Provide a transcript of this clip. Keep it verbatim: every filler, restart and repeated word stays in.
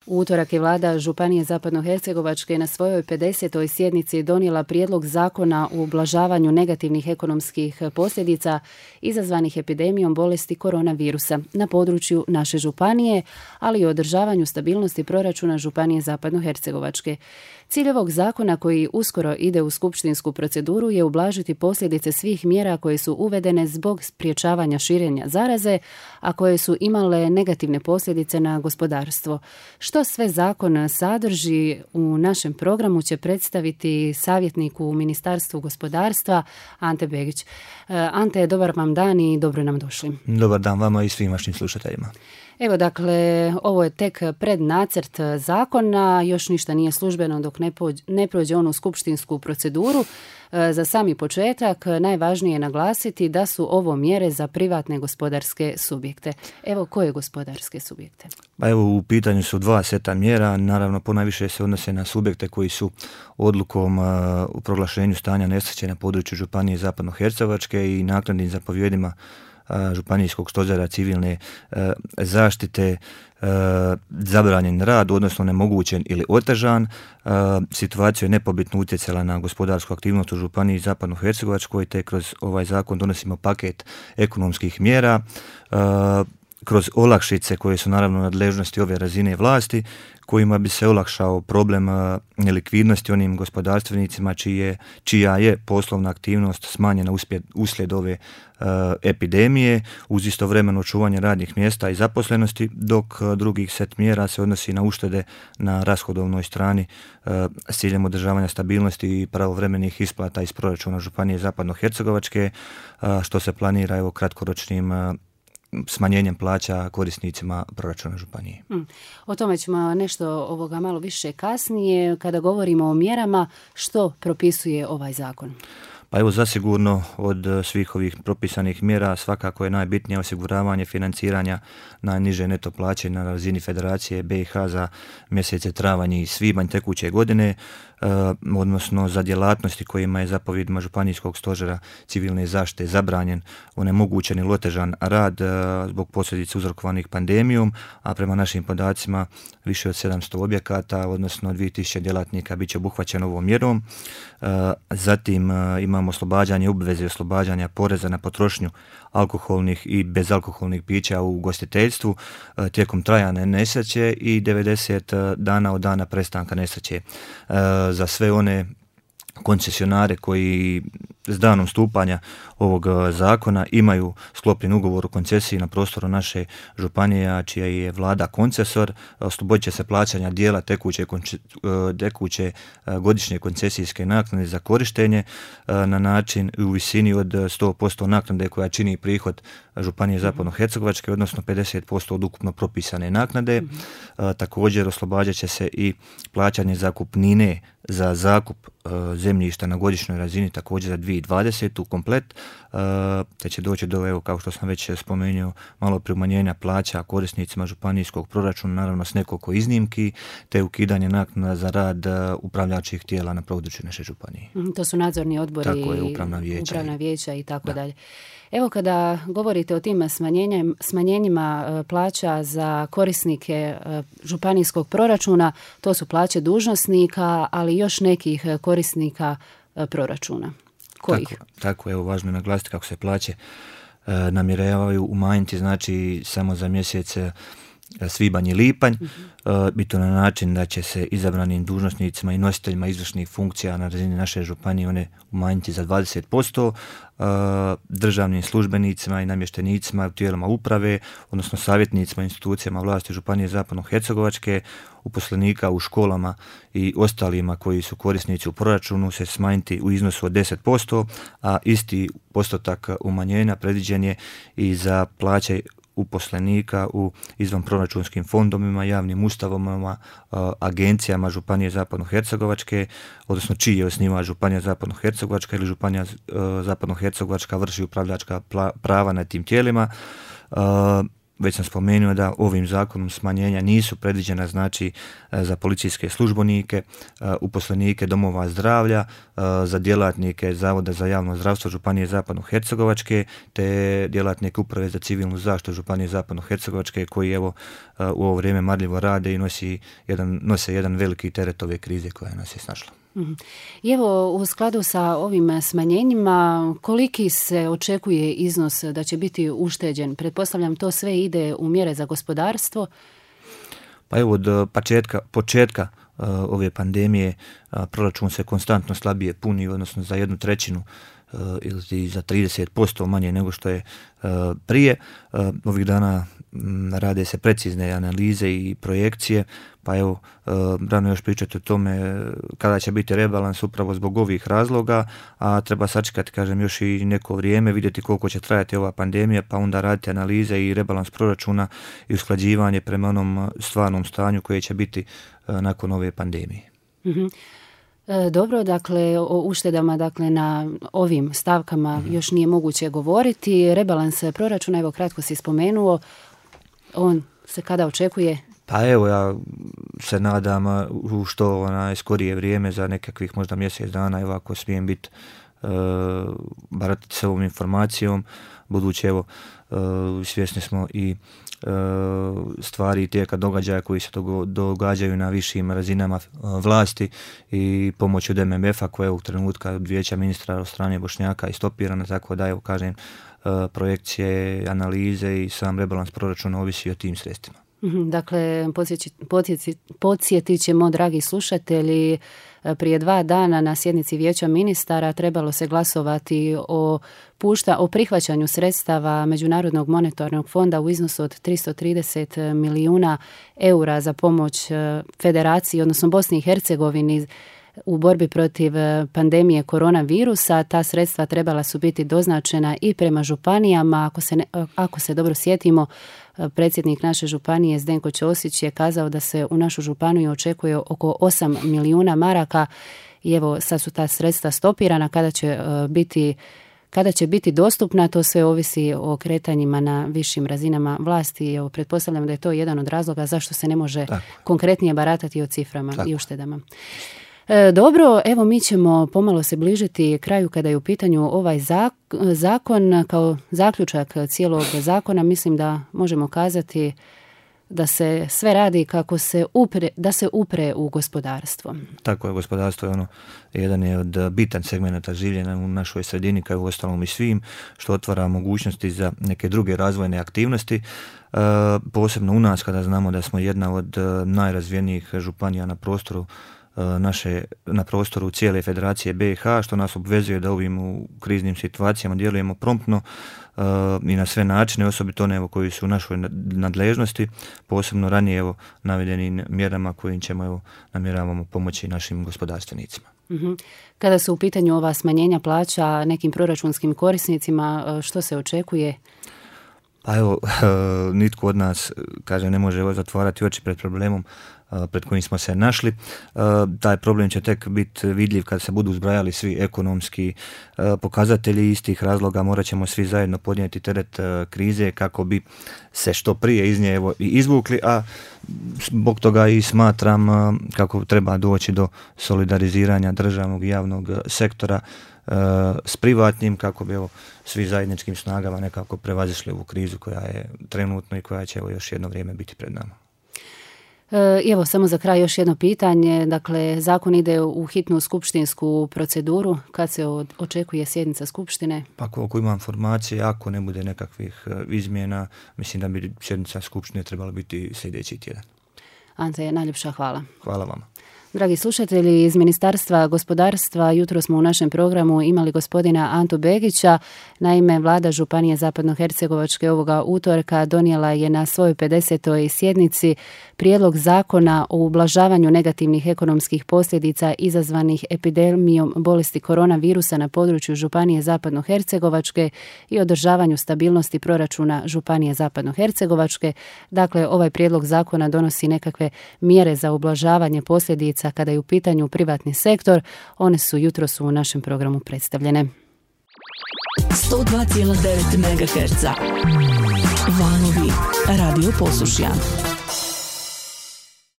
U utorak je vlada Županije Zapadnohercegovačke na svojoj pedesetoj sjednici donijela prijedlog zakona o ublažavanju negativnih ekonomskih posljedica izazvanih epidemijom bolesti koronavirusa na području naše županije, ali i održavanju stabilnosti proračuna Županije Zapadnohercegovačke. Cilj ovog zakona, koji uskoro ide u skupštinsku proceduru, je ublažiti posljedice svih mjera koje su uvedene zbog sprječavanja širenja zaraze, a koje su imale negativne posljedice na gospodarstvo. Što sve zakon sadrži u našem programu će predstaviti savjetnik u Ministarstvu gospodarstva Ante Begić. Ante, dobar vam dan i dobro nam došli. Dobar dan vama i svim vašim slušateljima. Evo, dakle, ovo je tek prednacrt zakona, još ništa nije službeno dok ne, pođe, ne prođe on u skupštinsku proceduru. Za sami početak najvažnije je naglasiti da su ovo mjere za privatne gospodarske subjekte. Evo, koje gospodarske subjekte? Pa evo, u pitanju su dva seta mjera, naravno ponajviše se odnose na subjekte koji su odlukom uh, u proglašenju stanja nesreće na području Županije Zapadnohercegovačke i naknadnim zapovjedima Županijskog stožera civilne e, zaštite e, zabranjen rad, odnosno nemogućen ili otežan. E, situacija je nepobitno utjecala na gospodarsku aktivnost u Županiji Zapadnohercegovačkoj, te kroz ovaj zakon donosimo paket ekonomskih mjera, e, kroz olakšice koje su naravno nadležnosti ove razine vlasti, kojima bi se olakšao problem nelikvidnosti onim gospodarstvenicima čije, čija je poslovna aktivnost smanjena uspjed, uslijed ove uh, epidemije, uz istovremeno čuvanje radnih mjesta i zaposlenosti, dok uh, drugih set mjera se odnosi na uštede na rashodovnoj strani uh, s ciljem održavanja stabilnosti i pravovremenih isplata iz proračuna Županije Zapadnohercegovačke, uh, što se planira evo kratkoročnim uh, smanjenjem plaća korisnicima proračuna županije. Hmm. O tome ćemo nešto ovoga malo više kasnije. Kada govorimo o mjerama, što propisuje ovaj zakon? Pa evo, zasigurno od svih ovih propisanih mjera svakako je najbitnije osiguravanje financiranja najniže neto plaće na razini Federacije B i H za mjesece travanj i svibanj tekuće godine, Uh, odnosno za djelatnosti kojima je zapovjedima Županijskog stožera civilne zaštite zabranjen, onemogućen ili otežan rad uh, zbog posljedica uzrokovanih pandemijom, a prema našim podacima više od sedamsto objekata, odnosno dvije tisuće djelatnika bit će obuhvaćeno ovom mjerom. Uh, zatim uh, imamo oslobađanje obveze oslobađanja poreza na potrošnju alkoholnih i bezalkoholnih pića u ugostiteljstvu uh, tijekom trajanja nesreće i devedeset dana od dana prestanka nesreće. Uh, za sve one koncesionare koji s danom stupanja ovog zakona imaju sklopljen ugovor o koncesiji na prostoru naše županije, čija je vlada koncesor, oslobodit će se plaćanja dijela tekuće, tekuće godišnje koncesijske naknade za korištenje na način u visini od sto posto naknade koja čini prihod Županije Zapadnohercegovačke, odnosno pedeset posto od ukupno propisane naknade. Mm-hmm. Također oslobađat će se i plaćanje zakupnine za zakup uh, zemljišta na godišnjoj razini također za dvije tisuće dvadesetu komplet, uh, te će doći do, evo, kao što sam već spomenuo, malo prije umanjenja plaća korisnicima županijskog proračuna, naravno s nekoliko iznimki, te ukidanje naknada za rad uh, upravljačkih tijela na području naše županije. Mm, to su nadzorni odbori, tako je, upravna vijeća, upravna vijeća i tako da. dalje. Evo, kada govorite o tim smanjenjima plaća za korisnike županijskog proračuna, to su plaće dužnosnika, ali još nekih korisnika proračuna. Kojih? Tako, tako evo, važno je naglasiti kako se plaće e, namjeravaju umanjiti, znači samo za mjesec svibanj i lipanj, uh-huh. uh, biti na način da će se izabranim dužnosnicima i nositeljima izvršnih funkcija na razini naše županije one umanjiti za dvadeset posto, uh, državnim službenicima i namještenicima u tijelima uprave, odnosno savjetnicima i institucijama vlasti Županije Zapadnohercegovačke, uposlenika u školama i ostalima koji su korisnici u proračunu se smanjiti u iznosu od deset posto, a isti postotak umanjenja predviđen je i za plaće uposlenika u izvanproračunskim fondovima, javnim ustanovama, agencijama Županije Zapadnohercegovačke, odnosno čiji je osnivač Županija Zapadnohercegovačka ili Županija Zapadnohercegovačka vrši upravljačka prava nad tim tijelima. već sam spomenuo da ovim zakonom smanjenja nisu predviđena znači za policijske službenike, uposlenike domova zdravlja, za djelatnike Zavoda za javno zdravstvo Županije Zapadno-Hercegovačke te djelatnike Uprave za civilnu zaštitu Županije Zapadno-Hercegovačke koji evo u ovo vrijeme marljivo rade i nosi jedan, nose jedan veliki teret ove krize koja nas je snašla. I evo, u skladu sa ovim smanjenjima, koliki se očekuje iznos da će biti ušteđen? Pretpostavljam, to sve ide u mjere za gospodarstvo? Pa evo, od početka, početka uh, ove pandemije uh, proračun se konstantno slabije puni, odnosno za jednu trećinu uh, ili za trideset posto manje nego što je uh, prije. Uh, ovih dana um, rade se precizne analize i projekcije, pa evo, uh, rano još pričati o tome kada će biti rebalans upravo zbog ovih razloga, a treba sačekati, kažem, još i neko vrijeme, vidjeti koliko će trajati ova pandemija, pa onda raditi analize i rebalans proračuna i usklađivanje prema onom stvarnom stanju koje će biti uh, nakon ove pandemije. Mm-hmm. E, dobro, dakle, o uštedama dakle, na ovim stavkama mm-hmm. još nije moguće govoriti. Rebalans proračuna, evo kratko si spomenuo, on se kada očekuje? Pa evo, ja se nadam u što onaj skorije vrijeme, za nekakvih možda mjesec dana, evo ako smijem biti e, baratiti s ovom informacijom, budući evo e, svjesni smo i e, stvari i tijeka događaja koji se događaju na višim razinama vlasti i pomoć od M M F-a koja je u trenutka od vijeća ministra od strane Bošnjaka i stopirana, tako da evo kažem projekcije, analize i sam rebalans proračuna ovisi o tim sredstvima. Dakle, podsjetit ćemo, dragi slušatelji, prije dva dana na sjednici vijeća ministara trebalo se glasovati o, pušta, o prihvaćanju sredstava Međunarodnog monetarnog fonda u iznosu od tristo trideset milijuna eura za pomoć Federaciji, odnosno Bosni i Hercegovini, u borbi protiv pandemije koronavirusa. Ta sredstva trebala su biti doznačena i prema županijama. Ako se, ne, ako se dobro sjetimo, predsjednik naše županije Zdenko Ćosić je kazao da se u našu županiju očekuje oko osam milijuna maraka i evo sad su ta sredstva stopirana. Kada će biti Kada će biti dostupna, to sve ovisi o kretanjima na višim razinama vlasti. Evo, pretpostavljam da je to jedan od razloga zašto se ne može Tako. konkretnije baratati o ciframa Tako. i uštedama. E, dobro, evo mi ćemo pomalo se bližiti kraju kada je u pitanju ovaj zakon. Kao zaključak cijelog zakona mislim da možemo kazati da se sve radi kako se upre, da se upre u gospodarstvo. Tako je, gospodarstvo je ono, jedan je od bitan segmenata življenja u našoj sredini, kao u ostalom i svim, što otvara mogućnosti za neke druge razvojne aktivnosti. E, posebno u nas, kada znamo da smo jedna od najrazvijenijih županija na prostoru naše, na prostoru cijele Federacije B i H, što nas obvezuje da ovim u kriznim situacijama djelujemo promptno uh, i na sve načine, osobito one evo, koji su u našoj nadležnosti, posebno ranije evo, navedenim mjerama kojim ćemo evo, namjeravamo pomoći našim gospodarstvenicima. Mm-hmm. Kada su u pitanju ova smanjenja plaća nekim proračunskim korisnicima, što se očekuje? Pa evo, nitko od nas, kaže, ne može zatvarati oči pred problemom pred kojim smo se našli. Taj problem će tek biti vidljiv kad se budu zbrajali svi ekonomski pokazatelji. Iz tih razloga morat ćemo svi zajedno podnijeti teret krize kako bi se što prije iz nje evo i izvukli, a zbog toga i smatram kako treba doći do solidariziranja državnog i javnog sektora s privatnim, kako bi evo svi zajedničkim snagama nekako prevazišli ovu krizu koja je trenutno i koja će evo još jedno vrijeme biti pred nama. Evo, samo za kraj još jedno pitanje. Dakle, zakon ide u hitnu skupštinsku proceduru. Kad se očekuje sjednica skupštine? Pa koliko imam informacije, ako ne bude nekakvih izmjena, mislim da bi sjednica skupštine trebala biti sljedeći tjedan. Ante, najljepša hvala. Hvala vama. Dragi slušatelji, iz Ministarstva gospodarstva jutro smo u našem programu imali gospodina Antu Begića. Naime, vlada Županije Zapadnohercegovačke ovoga utorka donijela je na svojoj pedesetoj sjednici prijedlog zakona o ublažavanju negativnih ekonomskih posljedica izazvanih epidemijom bolesti koronavirusa na području Županije Zapadnohercegovačke i održavanju stabilnosti proračuna Županije Zapadnohercegovačke. Dakle, ovaj prijedlog zakona donosi nekakve mjere za ublažavanje posljedica kada je u pitanju privatni sektor. One su jutros u našem programu predstavljene. sto dva zarez devet megaherca Valovi Radio Posušja.